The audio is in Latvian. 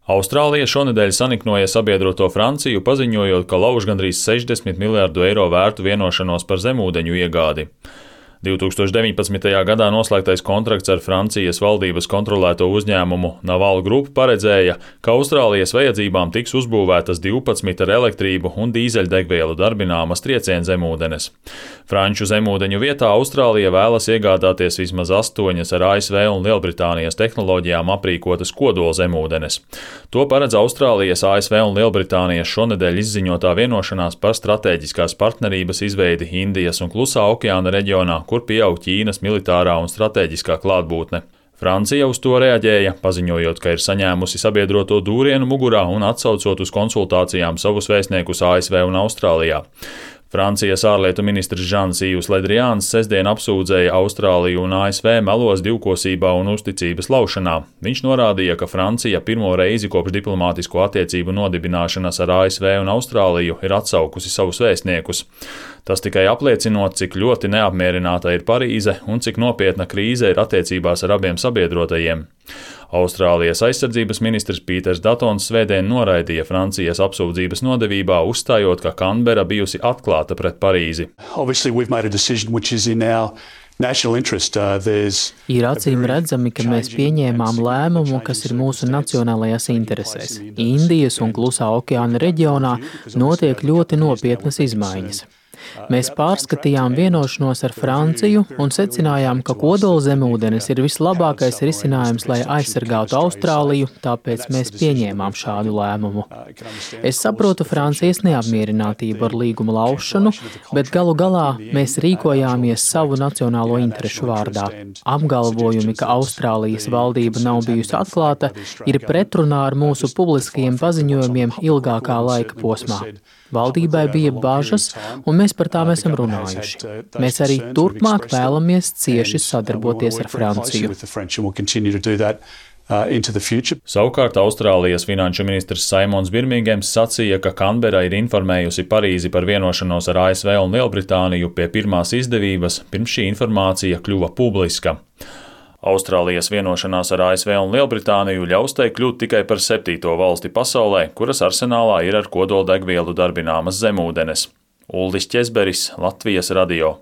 Austrālija šonedēļ saniknoja sabiedroto Franciju, paziņojot, ka lauž gandrīz 60 miljārdu eiro vērtu vienošanos par zemūdeņu iegādi. 2019. gadā noslēgtais kontrakts ar Francijas valdības kontrolēto uzņēmumu Naval Group paredzēja, ka Austrālijas vajadzībām tiks uzbūvētas 12 ar elektrību un dīzeļdegvielu darbināmas triecienzemūdenes. Franču zemūdeņu vietā Austrālija vēlas iegādāties vismaz 8 ar ASV un Lielbritānijas tehnoloģijām aprīkotas kodolzemūdenes. To paredz Austrālijas, ASV un Lielbritānijas šonedēļ izziņotā vienošanās par stratēģiskās partnerības izveidi Indijas un Klusā okeāna reģionā, kur pieaug Ķīnas militārā un stratēģiskā klātbūtne. Francija uz to reaģēja, paziņojot, ka ir saņēmusi sabiedroto dūrienu mugurā un atsaucot uz konsultācijām savus vēstniekus ASV un Austrālijā. Francijas ārlietu ministrs Žans Yves Le Drians sestdien apsūdzēja Austrāliju un ASV melos divkosībā un uzticības laušanā. Viņš norādīja, ka Francija pirmo reizi kopš diplomātisko attiecību nodibināšanas ar ASV un Austrāliju ir atsaukusi savus vēstniekus. Tas tikai apliecinot, cik ļoti neapmierināta ir Parīze un cik nopietna krīze ir attiecībās ar abiem sabiedrotajiem. Austrālijas aizsardzības ministrs Pīters Datons svētdien noraidīja Francijas apsūdzības nodevībā, uzstājot, ka Kanbera bijusi atklāta pret Parīzi. Ir acīm redzami, ka mēs pieņēmām lēmumu, kas ir mūsu nacionālajās interesēs. Indijas un Klusā okeāna reģionā notiek ļoti nopietnas izmaiņas. Mēs pārskatījām vienošanos ar Franciju un secinājām, ka kodolzemūdenes ir vislabākais risinājums, lai aizsargātu Austrāliju, tāpēc mēs pieņēmām šādu lēmumu. Es saprotu Francijas neapmierinātību ar līguma laušanu, bet galu galā mēs rīkojāmies savu nacionālo interešu vārdā. Apgalvojumi, ka Austrālijas valdība nav bijusi atklāta, ir pretrunā ar mūsu publiskajiem paziņojumiem ilgākā laika posmā. Valdībai bija bažas, un mēs par tām esam runājuši. Mēs arī turpmāk vēlamies cieši sadarboties ar Franciju. Savukārt Austrālijas finanšu ministrs Saimons Birmingems sacīja, ka Kanbera ir informējusi Parīzi par vienošanos ar ASV un Lielbritāniju pie pirmās izdevības, pirms šī informācija kļuva publiska. Austrālijas vienošanās ar ASV un Lielbritāniju ļaus tai kļūt tikai par 7. valsti pasaulē, kuras arsenālā ir ar kodoldegvielu darbināmas zemūdenes. Uldis Ķezberis, Latvijas radio.